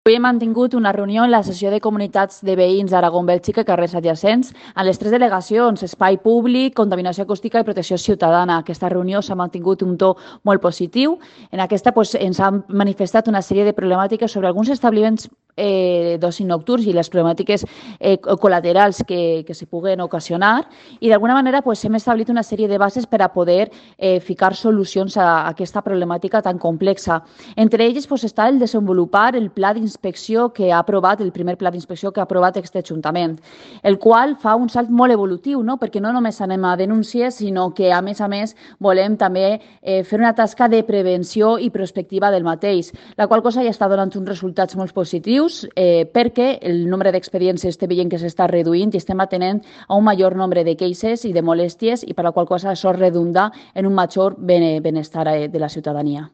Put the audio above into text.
Avui hem mantingut una reunió en la sessió de comunitats de veïns d'Aragó-Bèlgica i carrers adjacents a les tres delegacions, espai públic, contaminació acústica i protecció ciutadana. Aquesta reunió s'ha mantingut un to molt positiu. En aquesta ens han manifestat una sèrie de problemàtiques sobre alguns establiments d'oci nocturns i les problemàtiques col·laterals que se puguen ocasionar i d'alguna manera hem establit una sèrie de bases per a poder ficar solucions a aquesta problemàtica tan complexa. Entre elles està el desenvolupar el pla d'inspecció que ha aprovat, el primer pla d'inspecció que ha aprovat aquest Ajuntament, el qual fa un salt molt evolutiu, no? Perquè no només anem a denúncies, sinó que a més volem també fer una tasca de prevenció i prospectiva del mateix, la qual cosa ja està donant uns resultats molt positius perquè el nombre d'expedients estem veient que s'està reduint i estem atenent a un major nombre de queixes i de molèsties i per la qual cosa això redunda en un major benestar de la ciutadania.